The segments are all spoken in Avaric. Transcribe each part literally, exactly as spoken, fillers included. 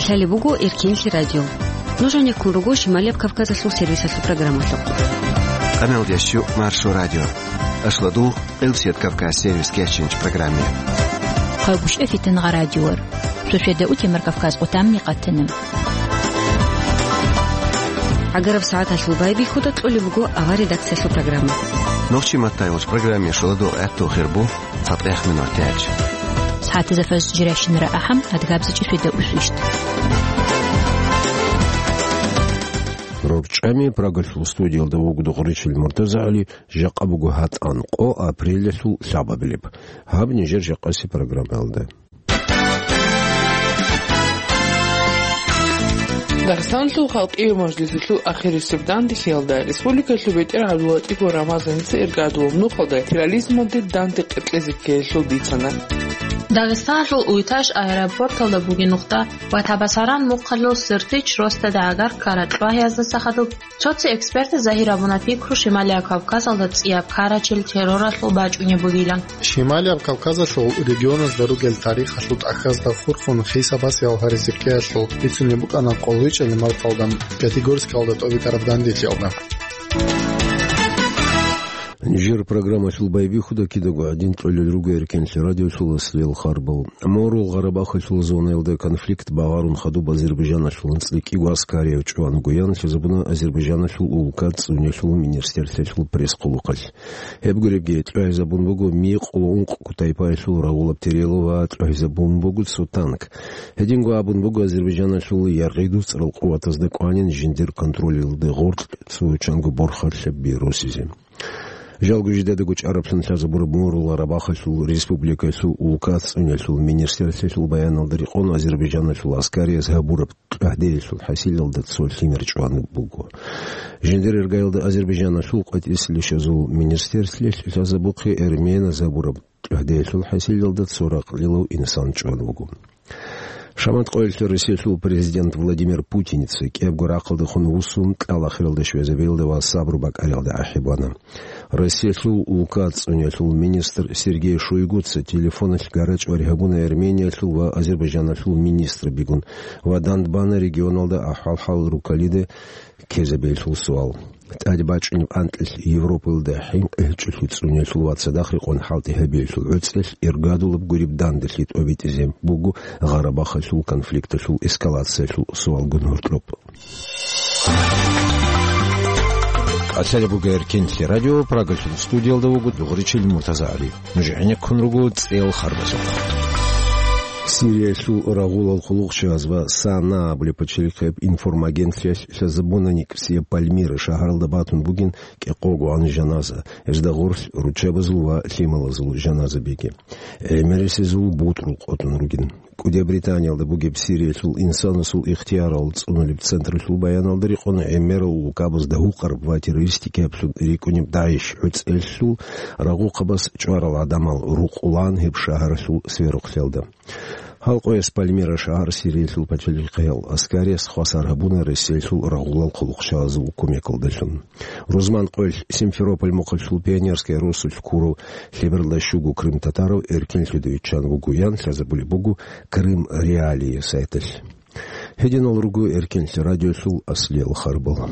Лъалеб буго Эркенлъи радио. Нуж гьанеккун руго Шималияб Кавказалъул сервисалъул программалъухъ. Къаналдияс щу Маршо радио. Ашладу Элсет Кавказ сервис кечинч программе. Хъайбушев Фитнагъа радиор. Суседа утемар Кавказ къутамни къатана. ГӀагараб сагӀаталъул байбихьуда кьолеб буго авар редакциялъул программа. Нохчи маттайулч программе шуладу гӀатту хирбу. ЦатӀех минут тяч. СагӀатазда фаз жиращинара ахӀам, адгабзичӀи светда усвищт. РорчӀами Прагалъул студиялда вугода гъоричил МуртазагӀали, жакъа буго гьатӀан къо апрелалъул лъабабилеб. Гьаб нижер жакъаси программаялда. Дагъистанлъул халкъияв мажлисалъул ахирисеб данделъиялда республикалъул бетӀер ГӀабдуллатӀипов Рамазаница иргадулаб нухалда терроризмалде данде къеркьезе ккеялъул бицана. Дагъистанлъул Уйташ аэропорталда бугеб нухда ва Табасаран мухъалъул Сертич росдада гӀагар ккарал чӀвагьиязда сахадуб. Цо-цо экспертаз загьир гьабуна пикру Шималияб Кавказалда цӀияб ккарачел терроралъул бачӀунеб бугилан. Шималияб Кавказалъул регионазда ругел тарихалъул тӀахьазда хурхун хисабас ялгьаризе ккеялъул бицунеб букӀана къоло гьечӀеб марталда Пятигорскалда тӀобитӀараб данделъиялда. Нижер программалъул байбихьуда кидаго гӀадин тӀолел руго Эркенлъи радиолъул аслияб харбал. Морул Гъарабахалъул зонаялда конфликт багъарун хадуб Азербайджаналъул анцӀила кӀиго аскарияб чӀван гуян лъазабуна Азербайджаналъул улка цӀунелъул министрлъиялъул пресс-хъулухъалъ. Гьеб гуребги, тӀвагӀизабун буго мекъу ва ункъ кутайпаялъул рагъулаб терело ва тӀвагӀизабун буго цо танк. Гьединго абун буго Азербайджаналъул яргъи-дуцӀрал къуватазда кӀванин жиндир контролалде гъоркь цо чанго борхалъаби росизе. Жалго жидедаго чӀараблъун лъазабураб Морул Гъарабахалъул республикалъул улка цӀунелъул министрлъиялъул баяналда рекъон Азербайджаналъул аскарияз гьабураб тӀагӀдеялъул хӀасилалда цо лъимер чӀван буго. Жиндир иргаялда Азербайджаналъул къватӀислъи лъазул министрлъиялъ лъазабухъе эрменаз гьабураб тӀагӀдеялъул хӀасилалда цо ракълилав инсан чӀван вуго. Шамат къоялъ Россиялъул президент Владимир Путиница кӀиябго рахъалдехун вуссун, кьал ахиралда щвезабиялда ва сабру бакӀариялда ахӀи бана. Россиялъул улка цӀунелъул министр Сергей Шойгуца телефоналъ гара-чӀвари гьабуна Армениялъул ва Азербайджаналъул министрабигун ва дандбана регионалда ахӀвал-хӀал руккалида ккезабиялъул суал. ТӀаде бачӀунеб анкьилъ Европаялда хӀинкъи гьечӀолъи цӀунелъул ва цадахъ рекъон хӀалтӀи гьабиялъул гӀуцӀелъ иргадулаб гуреб данделъи тӀобитӀизе буго Гъарабахалъул конфликталъул эскалациялъул суалгун гьоркьоб. КӀалъалеб буго Эркенлъи радио, Прагалъул студиялда вуго дугъричил МуртазагӀали. Нуж гӀенеккун руго цӀел харбазухъ. Сириялъул рагъулал хъулухъчияз ва САНА абулеб пачалихъияб информагентлъиялъ лъазабуна НикӀсияб Пальмира шагьаралда батун бугин кӀикъого гӀан жаназа, гьезда гъорлъ руччабазул ва лъималазул жаназабиги. ГӀемерисезул бутӀрул къотӀун ругин. КӀудияб Британиялда бугеб Сириялъул инсанасул ихтиярал цӀунулеб централъул баяналда рекъон гӀемерал улкабазда гьукъараб ва террористикаблъун рикӀкӀунеб ДАИШ гӀуцӀелъул рагъухъабаз чӀварал гӀадамал рукъулаан гьеб шагьаралъул сверухълъиялда. Гьал къояс Пальмира шагьар Сириялъул пачалихъиял аскарияс хвасар гьабуна Россиялъул рагъулал хъулухъчагӀазул кумекалдалъун. Рузман къоялъ Симферополь мухъалъул Пионерская росулъ ккурав лъебералда щуго крымтатарав эркенлъуда виччан вуго ян лъазабулеб буго Крым Реалии сайталъ. Гьединал руго Эркенлъи радиолъул аслиял харбал.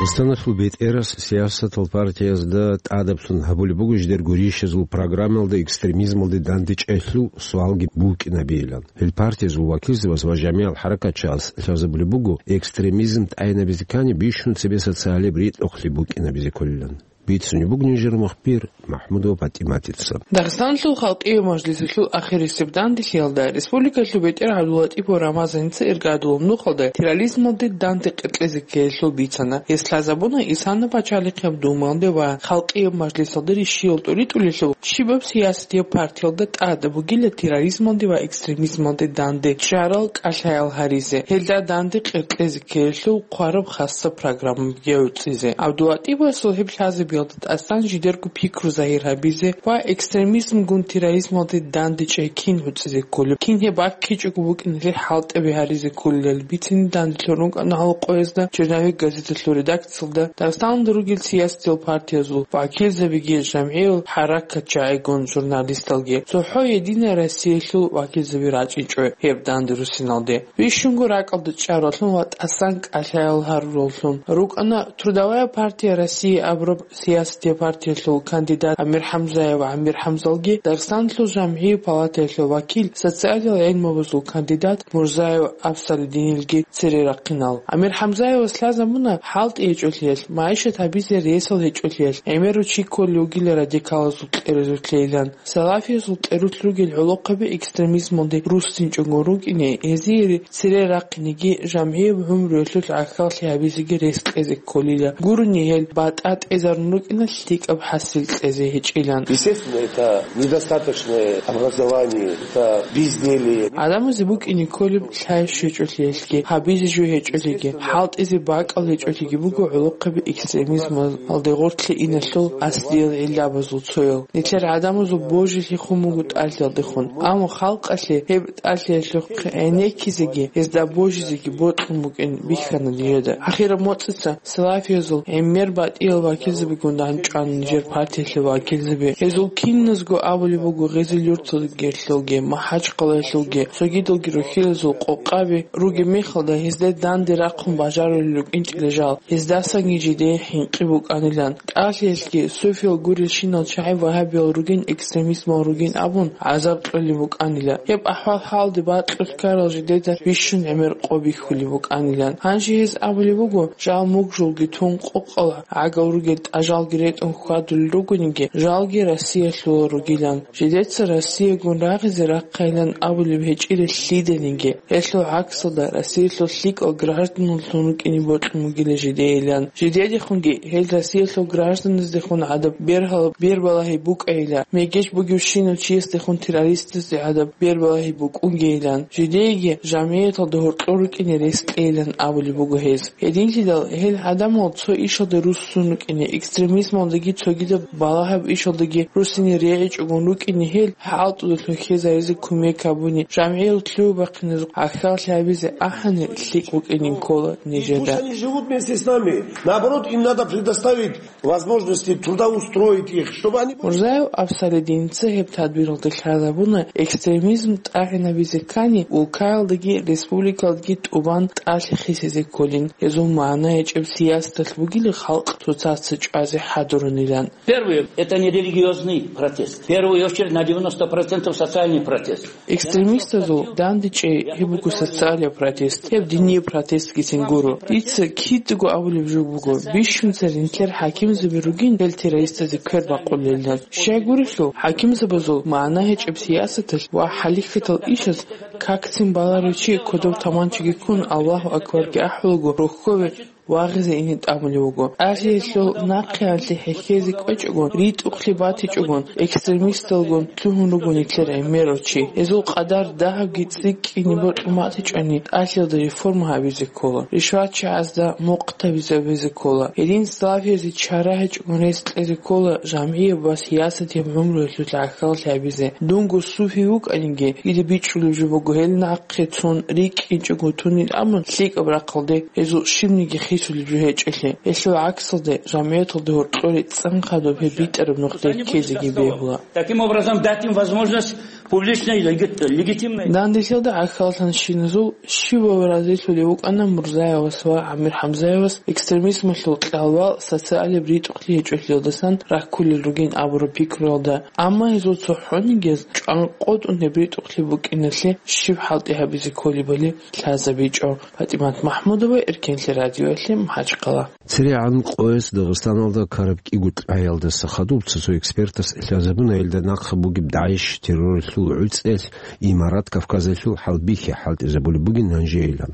Дагъистаналъул бетӀерас сиясатал партиязда тӀадаблъун гьабулеб буго жидерго ришазул программалда экстремизмалде дандечӀелъул суалги букӀинабейилан. Гьел партиязул вакилзабаз ва жамигӀал хӀаракатчияс лъазабулеб буго, экстремизм тӀайнабизе ккани бищун цебе социалияб ритӀухълъи букӀинабизе кколилан. Бицунеб буго нижер мухбир МахӀмудова ПатӀиматица. Дагъистанлъул халкъияв мажлисалъул ахирисеб данделъиялда республикалъул бетӀер ГӀабдуллатӀипов Рамазаница иргадулаб нухалда терроризмалде данде къеркьезе ккеялъул бицана. Гьес лъазабуна Исана пачалихъияб Думаялде ва халкъияб мажлисалде ришиял тӀуритӀулелъул щибаб сиясатияб партиялда тӀад бугила терроризмалде ва экстремизмалде данде чӀарал кӀалъаял гьаризе, гьелда данде къеркьезе ккеялъул хъвараб хасаб программаби гӀуцӀизе. ГӀабдуллатӀиповасул гьеб лъазаби Ялда тӀасан жидерго пикру загьир гьабизе ва экстремизмгун терроризмалде дандечӀей кин гӀуцӀизе кколеб, кин гьеб баккичӀого букӀиналъе хӀалтӀаби гьаризе кколилан бицине данделъун рукӀана гьал къоязда «Черновик» газеталъул редакциялда Дагъистаналда ругел сиясатиял партиязул вакилзабиги, жамгӀиял хӀаракатчагӀигун журналисталги. ЦохӀо «Единая Россиялъул» вакилзаби рачӀинчӀо гьеб данде руссиналде. Бищунго ракӀалда чӀаралъун ва тӀасан кӀалъаял гьарураллъун рукӀана «Трудовая партия России» абураб сиясатиял партиялъул кандидат Амир Хамзаев Амир Хамзалги, Дагъистаналъул жамгӀиял палатаялъул вакил, социалиял гӀилмабазул кандидат Мурзаев Абсалидинилги цере рахъинал. Амир Хамзаевас лъазабуна хӀалтӀи гьечӀолъиялъ, магӀишат гьабизе ресал гьечӀолъиялъ, гӀемерав чи кколев вугила радикалазул кьерезулъейилан. Салафиязул кьерулъ ругел гӀолохъаби экстремизмалде руссинчӀого рукӀине, гьезие цере рахъинеги, жамгӀияб гӀумруялъул гӀахьаллъи гьабизеги рес кьезе кколила. Гурони гьел батӀа тӀезарун рукӀина лъикӀаб хӀасил кьезе гьечӀилан. Естественно, это недостаточное образование, это безделье. ГӀадамазе букӀине кколеб лъай щвечӀолъиялъги, гьабизе жо гьечӀолъиги, хӀалтӀизе бакӀал гьечӀолъиги буго гӀолохъаби экстремизмалде гъорлъе иналъул аслиял гӀиллабазул цоял. Нилъер гӀадамазул божилъи хун буго тӀалъиялдехун. Амма халкъалъе гьеб тӀалъиялъухъ гӀенеккизеги, гьезда божизеги бокьун букӀин бихьана нижеда. Ахираб моцӀица салафиязул гӀемер батӀиял вакилзабигун дандчӀвана нижер партиялъул вакилзаби. Гьезул киназго абулеб буго гъезил юрталгелъулги, МахӀачхъалаялъулги, цогидалги рухьилазул къокъаби ругеб мехалда, гьезда данде рахъун бажарулел рукӀинчӀила жал, гьездасанги жидее хӀинкъи букӀанилан. ТӀалъиялъги суфиял гурелщинал чагӀи вагьабиял ругин, экстремизмал ругин абун гӀазаб кьолеб букӀанила. Гьеб ахӀвал-хӀалде бакьулъ ккарал жидеда бищун гӀемер къо бихьулеб букӀанилан. Гьанже гьез абулеб буго, жал мугжулги тун къокъал гӀагал ругел тӀажалги ретӀун хьвадулел ругониги, жалги Россиялъул ругилан. Жидеца Россиягун рагъизе рахъайилан абулеб гьечӀила лъиданиги. Гьелъул гӀаксалда, Россиялъул лъикӀал гражданлъун рукӀине бокьун бугила жидейилан. Жидедехунги гьел Россиялъул гражданаздехун гӀадаб бергьал-, бербалагьи букӀайила, мегеж бугевщинав чиясдехун террористазде гӀадаб бербалагьи букӀунгейилан. Жидееги жамгӀияталда гьоркьор рукӀине рес кьейилан абулеб буго гьез. Гьединлъидал гьел гӀадамал цо ишалда руссун рукӀине, экстремизмалдаги цогидаб балагьаб ишалдаги руссине регӀичӀогун рукӀине, гьел хӀалтӀудалъун хьезаризе кумек гьабуни, жамгӀиял лъугьа-бахъиназухъ гӀахьаллъи гьабизе ахӀани лъикӀ букӀинин ккола нижеда. Пусть они живут вместе с нами. Наоборот, им надо предоставить возможности трудоустроить их, чтобы они... Мурзаев Абсалидиница гьеб тадбиралда лъазабуна, экстремизм тӀагӀинабизе ккани, улкаялдаги республикаялдаги тӀубан тӀалъи хисизе кколин, гьезул магӀна гьечӀеб сиясаталъ бугила халкъ цоцаца чӀвазе хӀадурунилан. Первый, это не религиозный протест. В первую очередь на девяносто процентов социальный протест. Экстремистазул дандечӀей гьеб буго социалияб протест, гьеб динияб протестгицин гуро. Дица кидаго абулеб жо буго, бищунца ринлъер хӀакимзаби ругин гьел террористазе квер бакъулелилан. Щай гурелъул, хӀакимзабазул магӀна гьечӀеб сиясаталъ ва хӀалихьатал ишаз какцин баларев чи кодоб таманчиги ккун, Аллагьу акбарги ахӀулаго, рохьове вагъизе ине тӀамулев вуго. ТӀалъиялъул нахъеялъе хӀехьезе кӀвечӀого, ритӀухълъи батичӀогон, экстремисталгун лъугьун руго нилъер гӀемерав чи. Гьезул къадар дагьабги цӀикӀкӀине бокьун батичӀони, тӀалъиялда реформа гьабизе ккола, ришватчагӀазда мухъ табизабизе ккола. Гьедин салафиязде чара гьечӀогун рес кьезе ккола жамгӀияб ва сиясатияб гӀумруялъул гӀахьаллъи гьабизе. Дунго суфи вукӀаниги, дида бичӀчӀулеб жо буго гьел нахъе цун рикӀкӀинчӀого тунин абун, лъикӀаб рахъалде гьезул щибниги хисулеб жо гьечӀелъе. Гьелъул гӀаксалде, жамгӀияталда гьоркьоре цӀан хадуб гьеб битӀараб нухде ккезеги бегьула. Таким образом, дать им возможность публичной, легит-, легитимной. Данделъиялда гӀахьаллъанщиназул щивав разилъулев вукӀана Мурзаевас ва Амир Хамзаевас экстремизмалъул кьалвал социалияб ритӀухълъи гьечӀолъиялдасан раккулел ругин абураб пикруялда. Амма гьезул цохӀонигияз чӀванкъотӀун гьеб ритӀухълъи букӀиналъе щиб хӀалтӀи гьабизе кколебали лъазабичӀо. ПатӀимат МахӀмудова, Эркенлъи радиоялъе, МахӀачхъала. ЦерегӀан къояс Дагъистаналда ккараб кӀиго тӀагӀиялдаса хадуб цо-цо экспертас лъазабуна, гьелда нахъа бугеб ДАИШ терроралъул гӀуцӀиялъ Имарат Кавказалъул хӀалбихьи хӀалтӀизабулеб бугин гьанжейилан.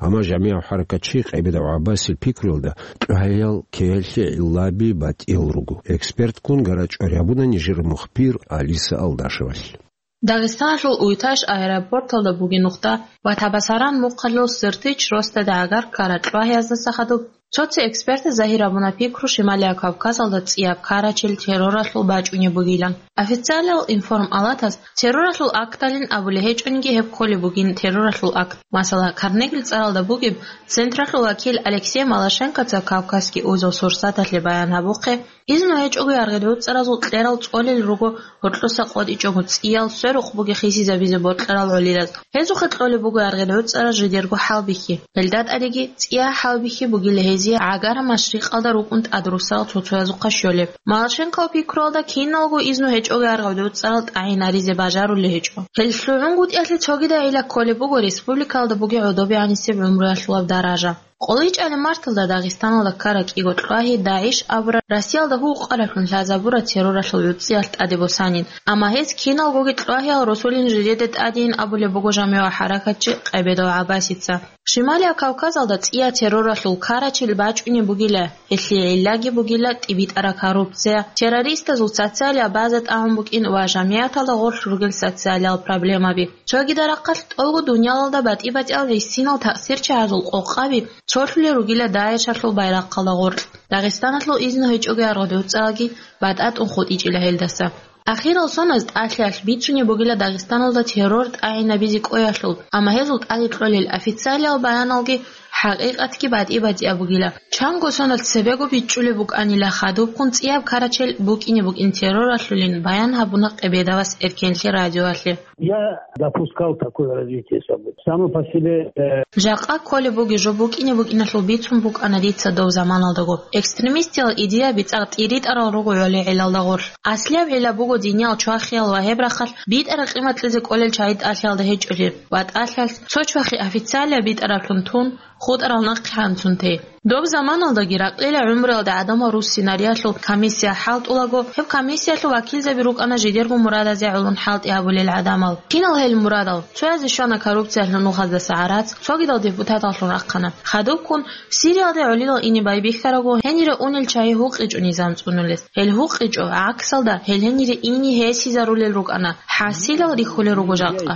Амма жамигӀав хӀаракатчи КъайбадагӀ ГӀаббасил пикруялда, тӀагӀиял ккеялъе гӀиллаби батӀиял руго. Экспертгун гарачӀвари гьабуна нижер мухбир Алиса Алдашевалъ. Дагъистаналъул Уйташ аэропорталда бугеб нухда ва Табасаран мухъалъул Сыртич росдада гӀагар ккараб тӀагӀияздаса хадуб Цо-цо экспертаз загьир абуна пикру Шималияб Кавказалда цӀияб карачел терроралъул бачӀунеб бугилан. Официалиял информалатаз терроралъул акталин абулеб гьечӀониги гьеб кколеб бугин терроралъул акт. Масала, Карнегил цӀаралда бугеб централъул вакил Алексей Малашенкоца Кавказский узел сурсаталъе баян гьабухъе, изну гьечӀого яргъи-гӀуцӀаразул кьерал цӀолел руго гьоркьоса къотӀичӀого цӀиял сверухъ бугеб хисизабизе бокьарал гӀолилаз. Гьезухъе кьолеб буго яргъи-гӀуцӀараз жидерго хӀалбихьи. Гьелда тӀадеги цӀия хӀалбихьи бугила гьезие гӀагар машрикъалда рукӀун тӀадрусарал цо-цоязухъа щолеб. Малашенков пикруялда киналго изну гьечӀого яргъи-гӀуцӀарал тӀагӀинаризе бажарулей гьечӀо. Гьел лъугӀунгутӀиялъе цогидайила кколеб буго республикалда бугеб гӀодобе гӀанисеб гӀумруялъулаб даража. КъолайчӀалаб марталда Дагъистаналда ккараб кӀиго кьвагьи ДАИШ абураб Россиялда гьукъараблъун лъазабураб терроралъул гӀуцӀиялъ тӀаде босанин, амма гьез киналгоги кьвагьиял росулин жидеде тӀадейин абулеб буго жамигӀ хӀаракатчи Къебедов ГӀаббасица. Шималияб Кавказалда цӀияб терроралъул карачел бачӀунеб бугила, гьелъие гӀиллаги бугила тӀибитӀараб коррупция, террористазул социалияб база тӀагӀун букӀин ва жамигӀаталда гъорлъ ругел социалиял проблемаби. Цогидал рахъалъ тӀолго дуниялалда батӀи-батӀиял гӀисинал таъсирчагӀазул къокъаби цолъулел ругила ДАИШалъул байрахъалда гъоркь. Дагъистаналъул изну гьечӀого яргъи-гӀуцӀараги батӀа тӀун хутӀичӀила гьелдаса. Ахирал соналъ тӀалъиялъ бицунеб бугила Дагъистаналда террор тӀагӀинабизе кӀвеялъул, амма гьезул тӀаде кьолел официалиял баяналги хӀакъикъатги батӀи-батӀияб бугила. Чанго соналъ цебего бичӀчӀулеб букӀанила хадубккун цӀияб карачел букӀине букӀин терроралъулин, баян гьабуна Къебедовас Эркенлъи радиоялъе. Я допускал такое развитие событий. Само по себе, э, Жакъа кколеб бугеб жо букӀине букӀиналъул бицун букӀана дица дов заманалдаго. Экстремистиял идеяби цӀакъ тӀиритӀарал руго гӀоле гӀелалда гъорлъ. Аслияб гӀилла буго диниял чвахиял ва гьеб рахъалъ битӀараб къимат кьезе кӀолел чагӀи тӀалъиялда гьечӀолел ва тӀалъиялъ цо чвахи официалияб битӀараблъун тун, хутӀарал нахъе гьанцун те. Доб заманалдаги ракьила гӀумруялда гӀадамал руссинариялъул комиссия хӀалтӀулаго, гьеб комиссиялъул вакилзаби рукӀана жидерго мурадазе гӀолон хӀалтӀи гьабулел гӀадамал. Кинал гьел мурадал? Цоязе щвана коррупциялъул нухаздаса гӀарац, цогидал депутаталлъун рахъана. Хадубккун Сириялде гӀолилал ине байбихьараго, гьенире унел чагӀи гьукъичӀо низам цӀунулес. Гьел гьукъичӀо, гӀаксалда, гьел гьенире ине гьесизарулел рукӀана. ХӀасилал рихьулел руго жакъа.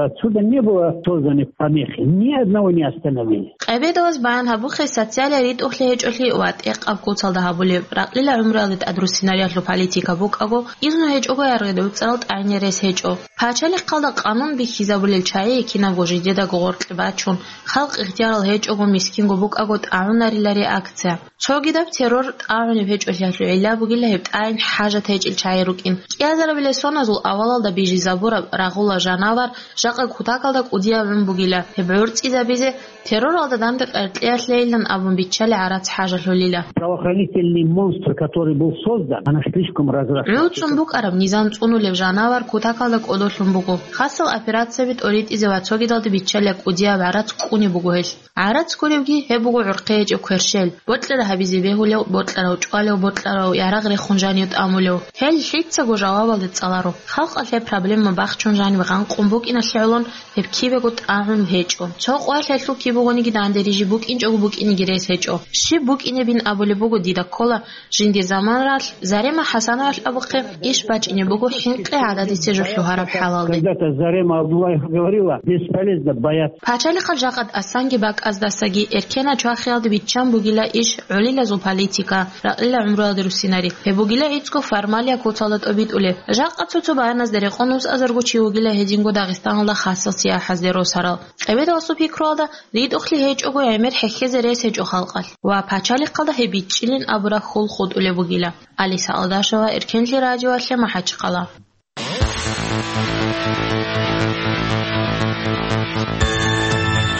Отсюда не было созданы помехи, ни одного не остановили. Къебедовас баян гьабухъе социалияб ритӀухълъи гьечӀолъи ва тӀекъаб куцалда гьабулеб, ракьила гӀумруялде тӀадруссинариялъул политика букӀаго, изну гьечӀого яргъи-гӀуцӀарал тӀагӀине рес гьечӀо. Пачалихъалда къанун бихьизабулел чагӀи кинабго жидедаго гъоркье бачун, халкъ ихтиярал гьечӀого, мискинго букӀаго тӀагӀунарила реакция. Цогидаб террор тӀагӀунеб гьечӀолъиялъул гӀилла бугила гьеб тӀагӀин хӀажат гьечӀел чагӀи рукӀин. КӀиазарабилеб соназул авалалда бижизабураб рагъула жанавар жакъа кутакалда кӀудияб гӀун бугила. Гьеб гӀорцӀизабизе терроралда данде къеркьеялъейилан абун биччалеб гӀарац хӀажалъулила. Правоохранительный монстр, который был создан, она слишком разросла. ГӀуцун букӀараб низам цӀунулеб жанавар кутакалда кӀодолъун буго. Хасал операцияби тӀоритӀизе ва цогидалда биччалеб кӀудияб гӀарац кӀунеб буго гьелъ. ГӀарац гуребги гьеб буго гӀурхъи гьечӀеб кверщел, бокьараб гьабизе бегьулев, бокьарав чӀвалев, бокьарав ярагъ рехун жанив тӀамулев. Гьел лъицаго жавабалде цӀаларо. Халкъалъ гьеб проблема бахчун жанив гъанкъун букӀиналъе гӀолон гьеб кибего тӀагӀун гьечӀо. Цо къвалъ гьелъул кибегониги данде рижи букӀинчӀого букӀинеги рес гьечӀо. Щиб букӀинебин абулеб буго дида ккола, жиндир заманалъ Зарема ХӀасановалъ абухъе иш бачӀине буго хӀинкъи гӀададисе жо лъугьараб хӀалалде. Когда-то Зарема Абдуллаева говорила: «Бесполезно бояться». Пачалихъал жакъа тӀасанги бакӀаздасаги эркенал чвахиялде биччан бугила иш гӀолилазул политика, ракьила гӀумруялде руссинари. Гьеб бугила гӀицӀго формалияб куцалда тӀобитӀулеб. Жакъа цо-цо баяназда рекъон усазарго чи вугила гьединго Дагъистаналда хасал сияхӀазде росарал. Къебедовасул пикруялда, ритӀухълъи гьечӀого гӀемер хӀехьезе рес гьечӀо халкъалъ ва пачалихъалда гьеб бичӀчӀилин абураб хьул хутӀулеб бугила. Алиса Алдашева, Эркенлъи радиоялъе, МахӀачхъала.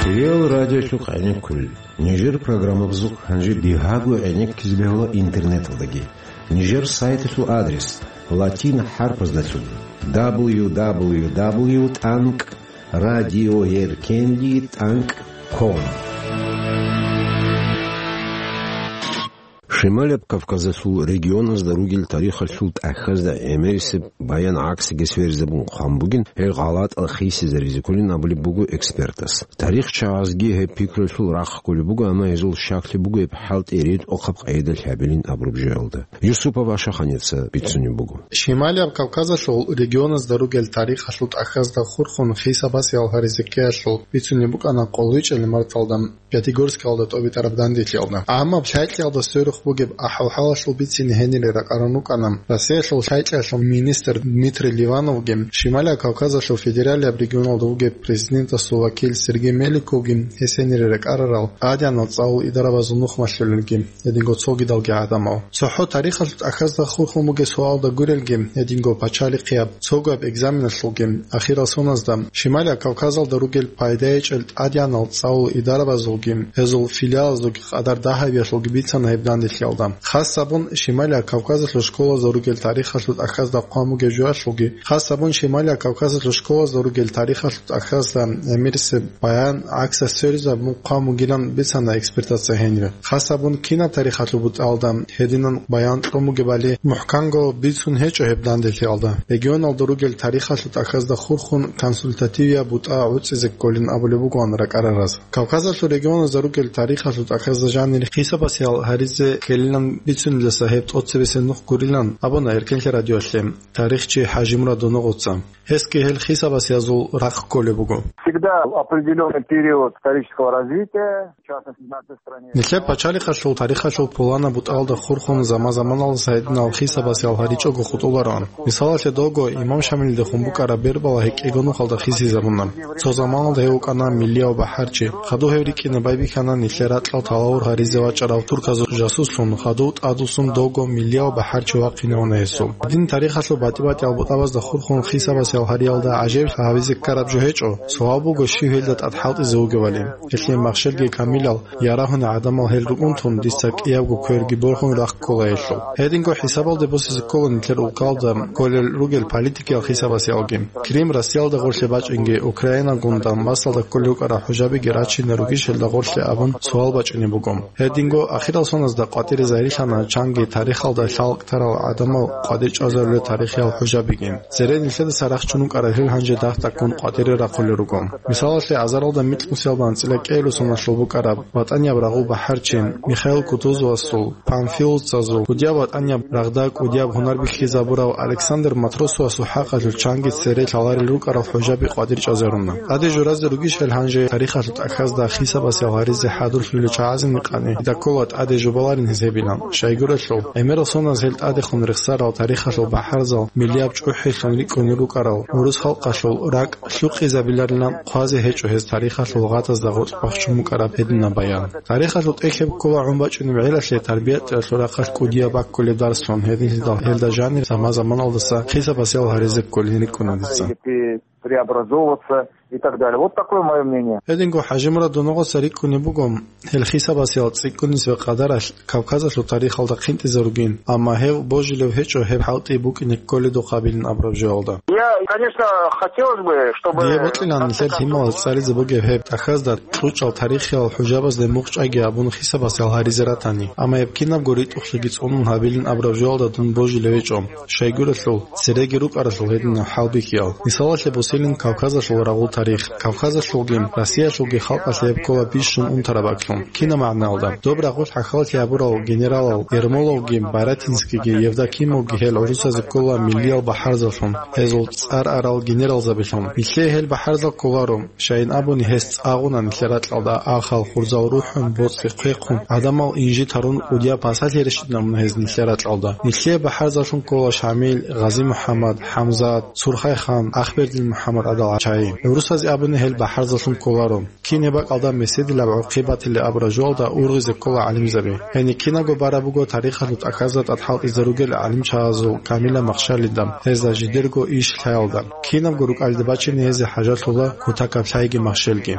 Кирилл радиолъухъ гӀенеккулел. Нижер программабазухъ гьанже бигьаго гӀенеккизе бегьула интернеталдаги. Нижер сайталъул адрес: латин хӀарпаздалъун: дабл ю дабл ю дабл ю тӀанкӀ радиоеркенлъи тӀанкӀ ком. Шималаб Кавказалъул регионазда ругел тарихалъул тӀахьазда гӀемерисеб баян гӀаксиги сверизабун хъван бугин, гьел гъалатӀал хисизаризе кколин абулеб буго экспертас. ТарихчагӀазги гьеб пикруялъул рахъ кколеб буго, амма гьезул щаклъи буго гьеб хӀалтӀи ритӀухъаб къайдалъ гьабилин абураб жоялда. Юсупов Ашаханица бицунеб буго. Шималияб Кавказалъул регионазда ругел тарихалъул тӀахьазда хурхун хисабасиялъ гьаризе ккеялъул бицунеб букӀана къолайчӀел марталда. Пятигорскалда тӀобитӀараб данделъиялда. Амма лъайкьиялда сверухъ бугеб ахӀвал-хӀалалъул бицине гьенире ракӀарун рукӀана Россиялъул лъайкьиялъул министр Дмитрий Ливановги, Шималияб Кавказалъул федералияб регионалда вугеб президентасул вакил Сергей Меликовги, гьес гьенире ракӀарарал тӀадегӀанал цӀалул идарабазул нухмалъулелги, гьединго цогидалги гӀадамал. ЦохӀо тарихалъул тӀахьазда хурхун бугеб суалда гурелги, гьединго пачалихъияб, цогояб экзаменалъулги, ахирал соназда Шималияб Кавказалда ругел пайдаячӀел тӀадегӀанал цӀалул идарабазулги, гьезул филиалазулги къадар дагьабиялъулги бицана гьеб данделъиялда. Хас гьабун Шималияб Кавказалъул школазда ругел тарихалъул тӀахьазда хъван бугеб жоялъулги, хас гьабун Шималияб Кавказалъул школазда ругел тарихалъул тӀахьазда гӀемерисеб баян гӀаксалъ сверизабун хъван бугилан бицана экспертаца гьенире. Хас гьабун кинаб тарихалъул бутӀалда гьединан баян кьун бугебали мухӀканго бицун гьечӀо гьеб данделъиялда. Регионалда ругел тарихалъул тӀахьазда хурхун консультативияб бутӀа гӀуцӀизе кколин абулеб бугоан ракӀарараз. Кавказалъул регионазда ругел тарихалъул тӀахьазда жанир хисабасиял гьаризе ккелилан бицуниласа гьеб тӀоцебесеб нух гурилан абуна Эркенлъи радиоялъе тарихчи ХӀажимурад Доногъоца. Гьесги гьел хисабасиязул рахъ кколеб буго. Всегда определённый период исторического развития, в частности, в нашей стране. Нилъер пачалихъалъул тарихалъул пуланаб бутӀалда хурхун заман-заманалдаса гьединал хисабасиял гьаричӀого хутӀулароан. Мисалалъе, дого имам Шамилидехун букӀараб Бербала гьекӀего нухалда хисизабуна. Цо заманалда гьев вукӀана миллияв бахӀарчи. Хадув гьев рикӀкӀине байбихьана нилъер ракьал талавур гьаризе вачӀарав турказул жасуслъун, хадув тӀадвуссун дого миллияв бахӀарчи вахъинавуна гьесул. Гьедин тарихалъул батӀи-батӀиял бутӀабазда хурхун хисабасиял гьариялда гӀажаиблъи гьабизе ккараб жо гьечӀо, суал буго щив гьелда тӀад хӀалтӀизе вугевали. Гьелъие махщелги камилал, ярагьуни гӀадамал гьел рукӀун тун, дица кӀиябго кверги борхун рахъ ккола гьелъул. Гьединго хӀисабалде босизе ккола нилъер улкалда кколел ругел политикиял хисабасиялги. Крим Россиялда гъорлъе бачӀинги, Украинагун Донбассалда кколел рукӀарал хӀужабиги рачине ругищ гьелда гъорлъе абун суал бачӀине буго. Гьединго ахирал соназда къватӀире загьирлъана чанги тарихалда лъалкӀ тарал гӀадамал къватӀир чӀвазарулел тарихиял хӀужабиги. Цере нилъедаса рахчун рукӀарал гьел гьанже дагь-дагьккун къватӀире рахъулел руго. Мисалалъе, азаралда микьнусиялда анцӀила кӀиабилеб соналъул букӀараб ВатӀанияб рагъул бахӀарчи Михаил Кутузовасул, панфиловцазул, кӀудияб ВатӀанияб рагъда кӀудияб гьунар бихьизабурав Александр Матросовасул хӀакъалъулъ чанги цере лъаларел рукӀарал хӀужаби къватӀир чӀвазаруна. ТӀаде журазе ругищ гьел гьанже тарихалъул тӀахьазда хисабасиял гьаризе хӀадурлъулел чагӀазул гьикъани, дида ккола тӀаде жубаларин гьез гьебилан. Щайгурелъул, гӀемерал соназ гьел тӀадехун рехсарал тарихалъул бахӀарзал миллияб чӀухӀилъун рикӀкӀунел рукӀарал урус халкъалъул ракӀ лъукъизабиларилан хъвазе гьечӀо гьез тарихалъул гъатӀазда гъоркь бахчун букӀараб гьединаб баян. Тарихалъул тӀехь гьеб ккола гӀун бачӀунеб гӀелалъе, тарбияталъул рахъалъ кӀудияб баккулеб дарслъун, гьединлъидал гьелда жанир заман-заманалдаса хисабасиял гьаризе кколин рикӀкӀуна дица. Преобразовываться и так далее. Вот такое моё мнение. Гьединго ХӀажимурад Доногъоца рикӀкӀунеб буго, гьел хисабасиял цӀикӀкӀунизаб къадаралъ Кавказалъул тарихалда хъинтӀизаругин, амма гьев божилев гьечӀо гьеб хӀалтӀи букӀине кколедухъабилин абураб жоялда. Я, конечно, хотелось бы, чтобы... Дие бокьилан нилъер лъималаз цӀализе бугеб гьеб тӀахьазда кьучӀал тарихиял хӀужабазде мухъ чӀвайги абун хисабасиял гьаризе ратани, амма гьеб кинабго ритӀухълъиги цӀунун гьабилин абураб жоялда дун божилев гьечӀо. Щайгурелъул, цереги рукӀаралъул гьединаб хӀалбихьиял. Мисалалъе босилин Кавказалъул рагъул тарих. Кавказалъулги, Россиялъулги халкъалъе гьеб ккола бищун унтараб бакӀлъун. Кинаб магӀналда? Доб рагъулъ хӀахьаллъи гьабурал генералал Ермоловги, Барятинскийги, Евдокимовги гьел гӀурусазе ккола миллиял бахӀарзаллъун, гьезул цӀар арал генералзабилъун. Нилъее гьел бахӀарзал кколаро. Щайин абуни, гьес цӀагъуна нилъер ракьалда ахал, хурзал рухӀун, боцӀи хъвехъун, гӀадамал инжит гьарун, кӀудияб пасалъи рещтӀинабуна гьез нилъер ракьалда. Нилъее бахӀарзаллъун ккола Шамил, Гъази-МухӀаммад, ХӀамзат, Сурхайхан, Ахбердил-МухӀаммад гӀадал чагӀи. ГӀурусазе абуни, гьел бахӀарзаллъун кколаро. Кин гьеб бакӀалда меседилаб гӀурхъи батилеб абураб жоялда ургъизе ккола гӀалимзаби. Гьениб кинабго бараб буго тарихалъул тӀахьазда тӀад хӀалтӀизе ругел гӀалимчагӀазул камилаб махщалида, гьезда жидерго иш лъаялда. Кинабго рукӀалде бачине гьезие хӀажалъула кутакаб лъайги махщелги.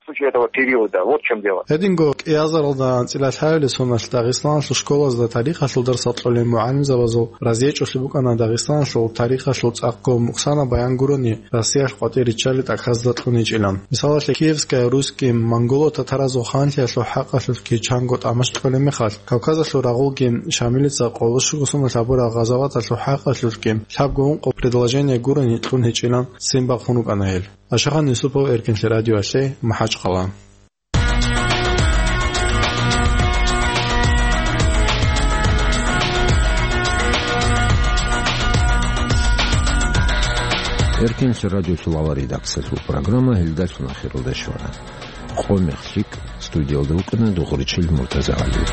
В случае этого периода, вот в чём дело. Гьединго кӀиазаралда анцӀила лъабилеб соналъ Дагъистаналъул школазда тарихалъул дарсал кьолел мугӀалимзабазул разиячӀолъи букӀана Дагъистаналъул тарихалъул цӀакъго мукъсанаб баян гурони Россиялъ къватӀир риччалел тӀахьазда кьун гьечӀилан. Мисалалъе, Киевская, русский, монголо-татаразул ханлъиялъул хӀакъалъулъги чанго тӀамаш кьолеб мехалъ, Кавказалъул рагъулги Шамилица къоло щуго соналъ гьабурал гъазаваталъул хӀакъалъулъги лъабго ункъо предложение гурони кьун гьечӀилан ццин бахъун рукӀана гьел. Ашахан Юсупов, Эркенлъи радиоялъе, МахӀачхъала. Эркенлъи радиолъулала редакциялъул программа гьелдалъун ахиралде щвана. къо мех лъикӀ. Студиялда вукӀана Дугъричил МуртазагӀали.